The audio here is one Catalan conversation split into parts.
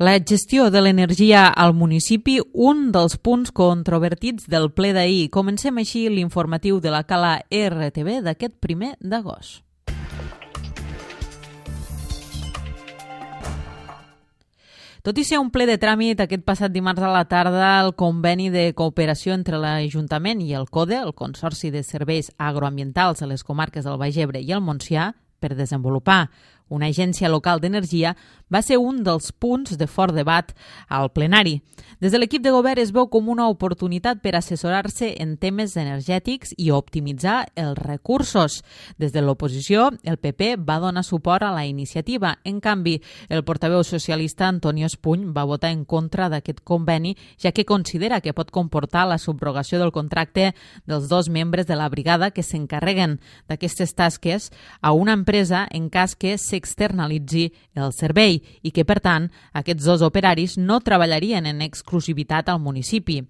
La gestió de l'energia al municipi, un dels punts controvertits del ple d'ahir. Comencem així l'informatiu de la Cala RTV d'aquest 1 d'agost. Tot i ser un ple de tràmit, aquest passat dimarts a la tarda el conveni de cooperació entre l'Ajuntament i el CODE, el Consorci de Serveis Agroambientals a les comarques del Baix Ebre i el Montsià, per desenvolupar una agència local d'energia, va ser un dels punts de fort debat al plenari. Des de l'equip de govern es veu com una oportunitat per assessorar-se en temes energètics i optimitzar els recursos. Des de l'oposició, el PP va donar suport a la iniciativa. En canvi, el portaveu socialista Antonio Espuny va votar en contra d'aquest conveni, ja que considera que pot comportar la subrogació del contracte dels 2 membres de la brigada que s'encarreguen d'aquestes tasques a una empresa en cas que s'externalitzi el servei i que, per tant, aquests 2 operaris no treballarien en exclusivitat al municipi.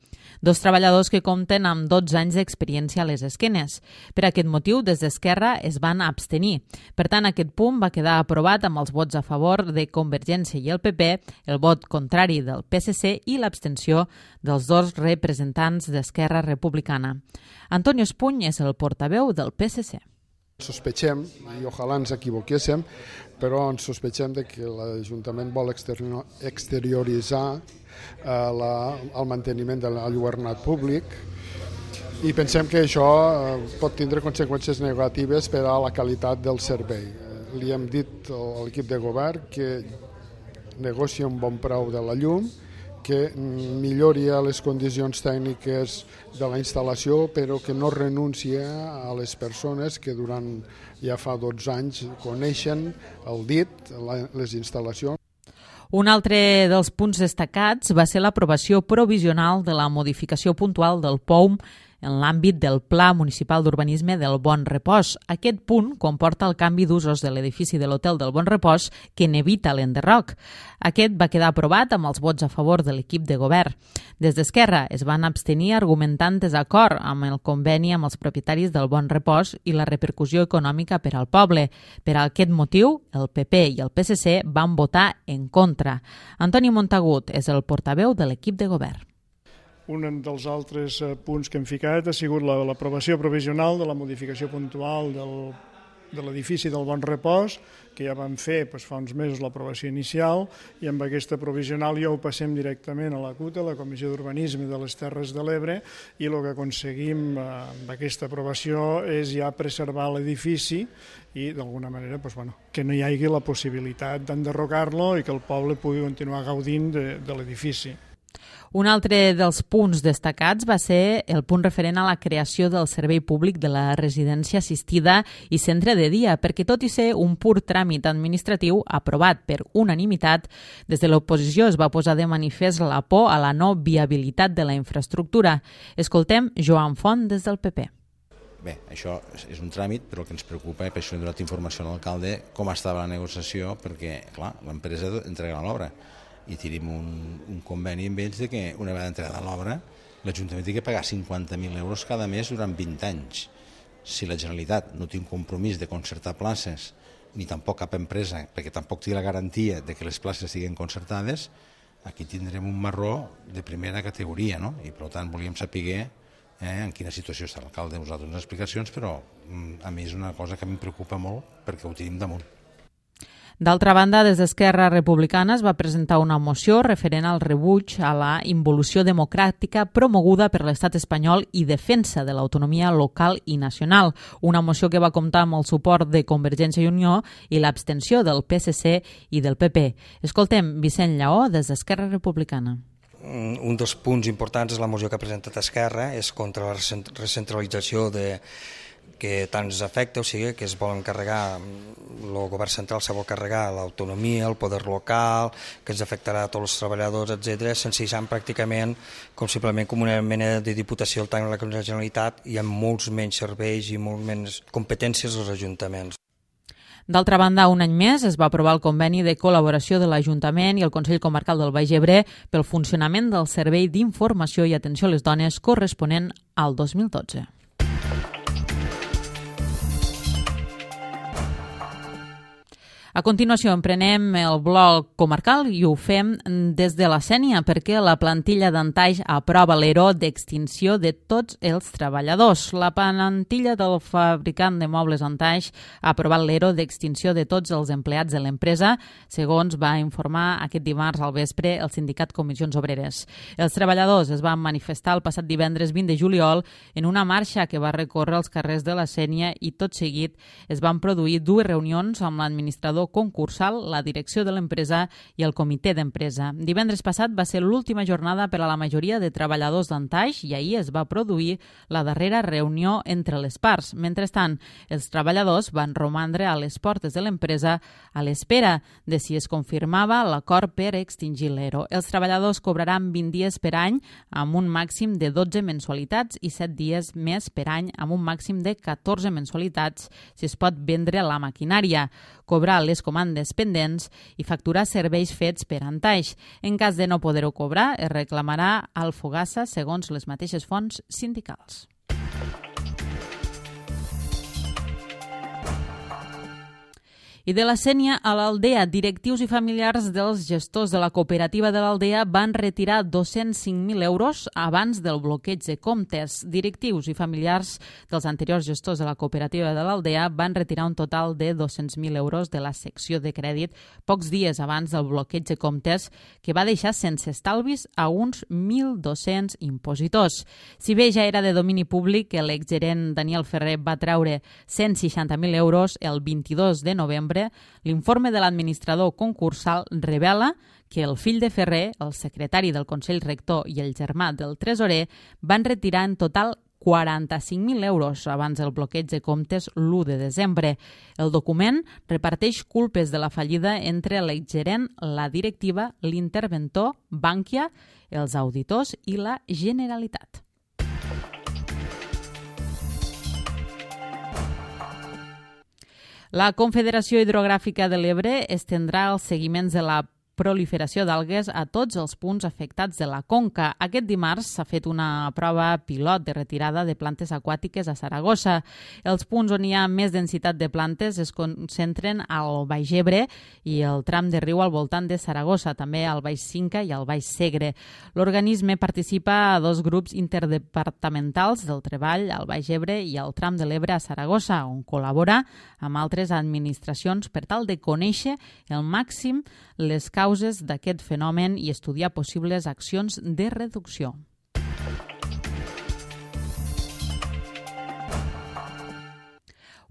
2 treballadors que compten amb 12 anys d'experiència a les esquenes. Per aquest motiu, des d'Esquerra es van abstenir. Per tant, aquest punt va quedar aprovat amb els vots a favor de Convergència i el PP, el vot contrari del PSC i l'abstenció dels 2 representants d'Esquerra Republicana. Antonio Espuny és el portaveu del PSC. Sospechem, i ojalà ens equivoquéssim, però ens sospechem que l'Ajuntament vol exterioritzar el manteniment del llogarnat públic i pensem que això pot tindre conseqüències negatives per a la qualitat del servei. Li hem dit a l'equip de govern que negocia un bon preu de la llum, que millori les condicions tècniques de la instal·lació, però que no renuncia a les persones que durant ja fa 12 anys coneixen el DIT, les instal·lacions. Un altre dels punts destacats va ser l'aprovació provisional de la modificació puntual del POUM en l'àmbit del Pla Municipal d'Urbanisme del Bon Repòs. Aquest punt comporta el canvi d'usos de l'edifici de l'Hotel del Bon Repòs que n'evita l'enderroc. Aquest va quedar aprovat amb els vots a favor de l'equip de govern. Des d'Esquerra es van abstenir argumentant desacord amb el conveni amb els propietaris del Bon Repòs i la repercussió econòmica per al poble. Per aquest motiu, el PP i el PSC van votar en contra. Antoni Montagut és el portaveu de l'equip de govern. Un dels altres punts que hem ficat ha sigut l'aprovació provisional de la modificació puntual de l'edifici del Bon Repòs, que ja vam fer fa uns mesos l'aprovació inicial, i amb aquesta provisional ja ho passem directament a la CUTA, la Comissió d'Urbanisme de les Terres de l'Ebre, i el que aconseguim amb aquesta aprovació és ja preservar l'edifici i d'alguna manera que no hi hagi la possibilitat d'enderrocar-lo i que el poble pugui continuar gaudint de l'edifici. Un altre dels punts destacats va ser el punt referent a la creació del servei públic de la residència assistida i centre de dia, perquè tot i ser un pur tràmit administratiu aprovat per unanimitat, des de l'oposició es va posar de manifest la por a la no viabilitat de la infraestructura. Escoltem Joan Font des del PP. Bé, això és un tràmit, però el que ens preocupa, i per això hem donat informació a l'alcalde, com estava la negociació, perquè, clar, l'empresa entregarà l'obra. I tenim un conveni amb ells que una vegada entregada l'obra l'Ajuntament té que pagar 50.000 euros cada mes durant 20 anys. Si la Generalitat no té un compromís de concertar places, ni tampoc cap empresa, perquè tampoc té la garantia de que les places siguin concertades, aquí tindrem un marró de primera categoria, no? I per tant volíem saber en quina situació està l'alcalde. Us ha donat unes explicacions, però a mi és una cosa que em preocupa molt perquè ho tenim damunt. D'altra banda, des d'Esquerra Republicana es va presentar una moció referent al rebuig a la involució democràtica promoguda per l'Estat espanyol i defensa de l'autonomia local i nacional. Una moció que va comptar amb el suport de Convergència i Unió i l'abstenció del PSC i del PP. Escoltem Vicent Lleó des d'Esquerra Republicana. Un dels punts importants és la moció que ha presentat Esquerra, és contra la recentralització que tant ens afecta, o sigui, que es volen carregar, el govern central se vol carregar l'autonomia, el poder local, que ens afectarà a tots els treballadors, etc., sensejant pràcticament simplement com una mena de diputació al tant de la Generalitat i amb molts menys serveis i molts menys competències als ajuntaments. D'altra banda, un any més es va aprovar el conveni de col·laboració de l'Ajuntament i el Consell Comarcal del Baix Ebre pel funcionament del Servei d'Informació i Atenció a les Dones corresponent al 2012. A continuació, emprenem el bloc comarcal i ho fem des de la Sénia perquè la plantilla d'Antaix aprova l'ERO d'extinció de tots els treballadors. La plantilla del fabricant de mobles Antaix ha aprovat l'ERO d'extinció de tots els empleats de l'empresa, segons va informar aquest dimarts al vespre el sindicat Comissions Obreres. Els treballadors es van manifestar el passat divendres 20 de juliol en una marxa que va recórrer els carrers de la Sénia i tot seguit es van produir dues reunions amb l'administrador concursal, la direcció de l'empresa i el comitè d'empresa. Divendres passat va ser l'última jornada per a la majoria de treballadors d'Antaix i ahir es va produir la darrera reunió entre les parts. Mentrestant, els treballadors van romandre a les portes de l'empresa a l'espera de si es confirmava l'acord per extingir l'ERO. Els treballadors cobraran 20 dies per any amb un màxim de 12 mensualitats i 7 dies més per any amb un màxim de 14 mensualitats si es pot vendre la maquinària, cobrar les comandes pendents i facturar serveis fets per Antaix. En cas de no poder-ho cobrar, es reclamarà al Fogassa segons les mateixes fonts sindicals. I de la Sénia a l'Aldea, directius i familiars dels gestors de la cooperativa de l'Aldea van retirar 205.000 euros abans del bloqueig de comptes. Directius i familiars dels anteriors gestors de la cooperativa de l'Aldea van retirar un total de 200.000 euros de la secció de crèdit pocs dies abans del bloqueig de comptes que va deixar sense estalvis a uns 1.200 impositors. Si bé ja era de domini públic que l'exgerent Daniel Ferrer va treure 160.000 euros el 22 de novembre, l'informe de l'administrador concursal revela que el fill de Ferrer, el secretari del Consell Rector i el germà del tresorer van retirar en total 45.000 euros abans del bloqueig de comptes l'1 de desembre. El document reparteix culpes de la fallida entre l'exgerent, la directiva, l'interventor, Bankia, els auditors i la Generalitat. La Confederació Hidrogràfica de l'Ebre estendrà els seguiments de la proliferació d'algues a tots els punts afectats de la conca. Aquest dimarts s'ha fet una prova pilot de retirada de plantes aquàtiques a Saragossa. Els punts on hi ha més densitat de plantes es concentren al Baix Ebre i el tram de riu al voltant de Saragossa, també al Baix Cinca i al Baix Segre. L'organisme participa a dos grups interdepartamentals del treball al Baix Ebre i al tram de l'Ebre a Saragossa, on col·labora amb altres administracions per tal de conèixer el màxim les causes d'aquest fenomen i estudiar possibles accions de reducció.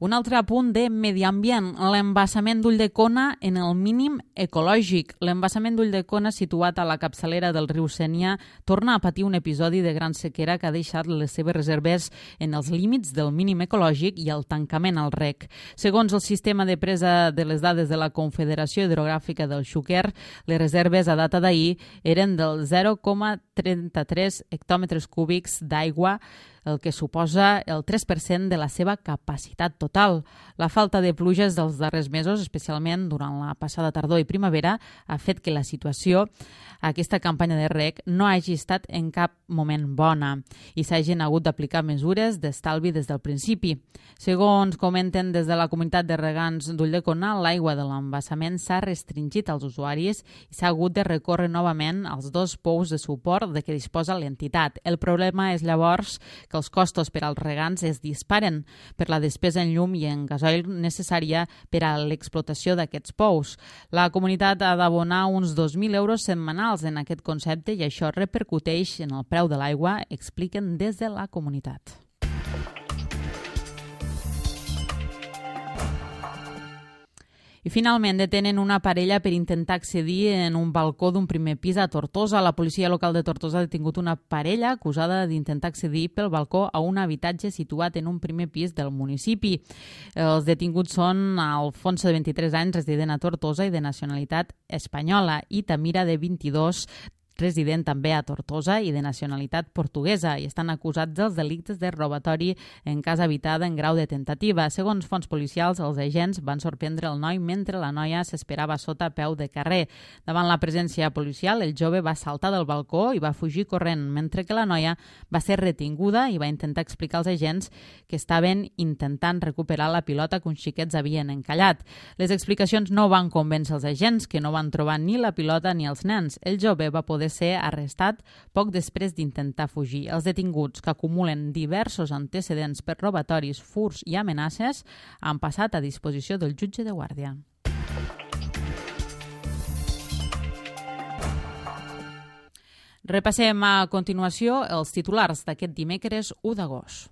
Un altre apunt de medi ambient, l'embassament d'Ulldecona en el mínim ecològic. L'embassament d'Ulldecona, situat a la capçalera del riu Sénia, torna a patir un episodi de gran sequera que ha deixat les seves reserves en els límits del mínim ecològic i el tancament al rec. Segons el sistema de presa de les dades de la Confederació Hidrogràfica del Xúquer, les reserves a data d'ahir eren del 0,33 hectòmetres cúbics d'aigua, el que suposa el 3% de la seva capacitat total. La falta de pluges dels darrers mesos, especialment durant la passada tardor i primavera, ha fet que la situació a aquesta campanya de reg no hagi estat en cap moment bona i s'hagin hagut d'aplicar mesures d'estalvi des del principi. Segons comenten des de la comunitat de regants d'Ulldecona, l'aigua de l'embassament s'ha restringit als usuaris i s'ha hagut de recórrer novament als dos pous de suport de què disposa l'entitat. El problema és llavors que els costos per als regants es disparen per la despesa en llum i en gasoil necessària per a l'explotació d'aquests pous. La comunitat ha d'abonar uns 2.000 euros setmanals en aquest concepte i això repercuteix en el preu de l'aigua, expliquen des de la comunitat. I finalment detenen una parella per intentar accedir en un balcó d'un primer pis a Tortosa. La policia local de Tortosa ha detingut una parella acusada d'intentar accedir pel balcó a un habitatge situat en un primer pis del municipi. Els detinguts són Alfonso, de 23 anys, resident a Tortosa i de nacionalitat espanyola, i Tamira, de 22, resident també a Tortosa i de nacionalitat portuguesa i estan acusats dels delictes de robatori en casa habitada en grau de tentativa. Segons fonts policials, els agents van sorprendre el noi mentre la noia s'esperava sota peu de carrer. Davant la presència policial, el jove va saltar del balcó i va fugir corrent, mentre que la noia va ser retinguda i va intentar explicar als agents que estaven intentant recuperar la pilota que uns xiquets havien encallat. Les explicacions no van convèncer els agents, que no van trobar ni la pilota ni els nens. El jove va poder ser arrestat poc després d'intentar fugir. Els detinguts, que acumulen diversos antecedents per robatoris, furts i amenaces, han passat a disposició del jutge de guàrdia. Repassem a continuació els titulars d'aquest dimecres 1 d'agost.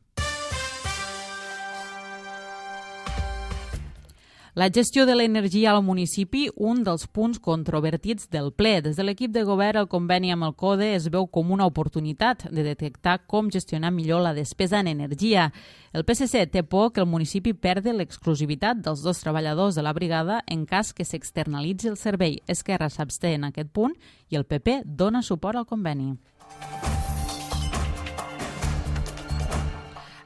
La gestió de l'energia al municipi, un dels punts controvertits del ple. Des de l'equip de govern, el conveni amb el CODE es veu com una oportunitat de detectar com gestionar millor la despesa en energia. El PSC té por que el municipi perdi l'exclusivitat dels 2 treballadors de la brigada en cas que s'externalitzi el servei. Esquerra s'absté en aquest punt i el PP dona suport al conveni.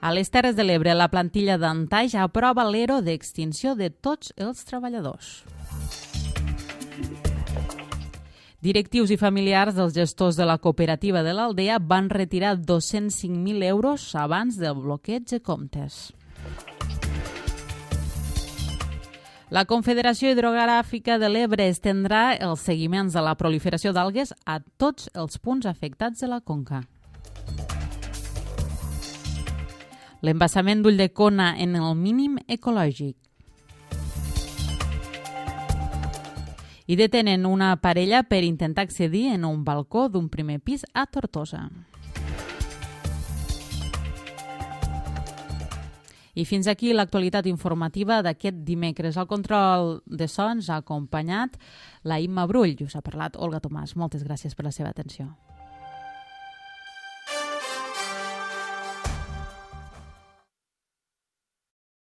A les Terres de l'Ebre, la plantilla d'Antaix aprova l'ERO d'extinció de tots els treballadors. Directius i familiars dels gestors de la cooperativa de l'Aldea van retirar 205.000 euros abans del bloqueig de comptes. La Confederació Hidrogràfica de l'Ebre estendrà els seguiments de la proliferació d'algues a tots els punts afectats de la conca. L'embassament d'Ulldecona en el mínim ecològic. I detenen una parella per intentar accedir en un balcó d'un primer pis a Tortosa. I fins aquí l'actualitat informativa d'aquest dimecres. Al control de so ens ha acompanyat la Imma Brull i us ha parlat Olga Tomàs. Moltes gràcies per la seva atenció.